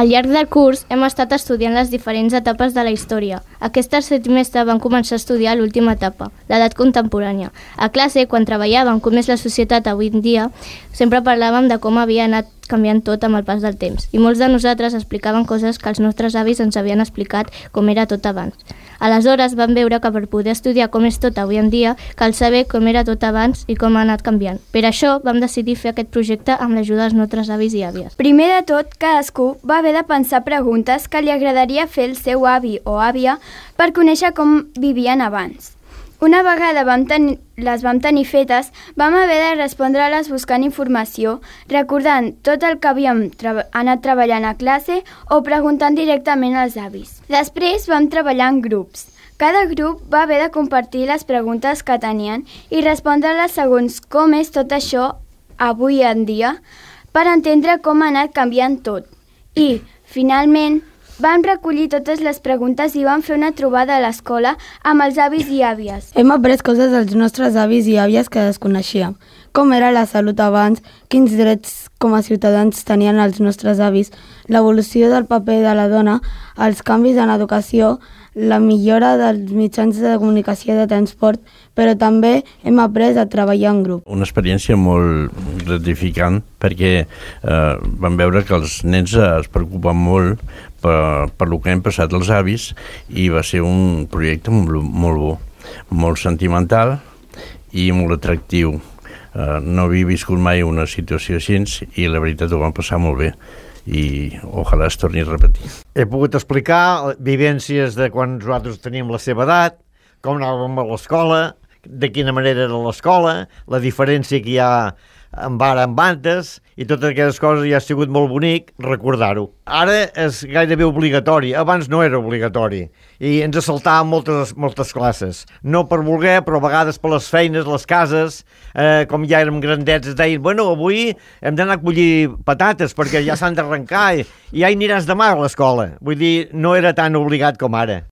Al llarg del curs hem estat estudiant les diferents etapes de la història. Aquest tercer trimestre vam començar a estudiar l'última etapa, l'edat contemporània. A classe, quan treballàvem com és la societat avui en dia, sempre parlàvem de com havia anat canviant tot amb el pas del temps. I molts de nosaltres explicaven coses que els nostres avis ens havien explicat com era tot abans. Aleshores vam veure que per poder estudiar com és tot avui en dia, cal saber com era tot abans i com ha anat canviant. Per això vam decidir fer aquest projecte amb l'ajuda dels nostres avis i àvies. Primer de tot, cadascú va haver de pensar preguntes que li agradaria fer al seu avi o àvia per conèixer com vivien abans. Una vegada les vam tenir fetes, vam haver de respondre-les buscant informació, recordant tot el que havíem anat treballant a classe o preguntant directament als avis. Després vam treballar en grups. Cada grup va haver de compartir les preguntes que tenien i respondre-les segons com és tot això avui en dia per entendre com ha anat canviant tot. I, finalment, vam recollir totes les preguntes i vam fer una trobada a l'escola amb els avis i àvies. Hem après coses dels nostres avis i àvies que desconeixíem. Com era la salut abans, quins drets com a ciutadans tenien els nostres avis, l'evolució del paper de la dona, els canvis en educació, la millora dels mitjans de comunicació i de transport, però també hem après a treballar en grup. Una experiència molt gratificant perquè vam veure que els nens es preocupen molt per lo que hem passat els avis i va ser un projecte molt bo, molt sentimental i molt atractiu. No havia viscut mai una situació així i la veritat ho vam passar molt bé i ojalà es torni a repetir. He pogut explicar vivències de quan nosaltres teníem la seva edat, com anàvem a l'escola, de quina manera era l'escola, la diferència que hi ha amb ara amb antes, i totes aquestes coses ja ha sigut molt bonic recordar-ho. Ara és gairebé obligatori, abans no era obligatori, i ens assaltàvem moltes classes. No per voler, però a vegades per les feines, les cases, com ja érem grandets, es deien, bueno, avui hem d'anar a collir patates perquè ja s'han d'arrencar i ja hi aniràs demà a l'escola. Vull dir, no era tan obligat com ara.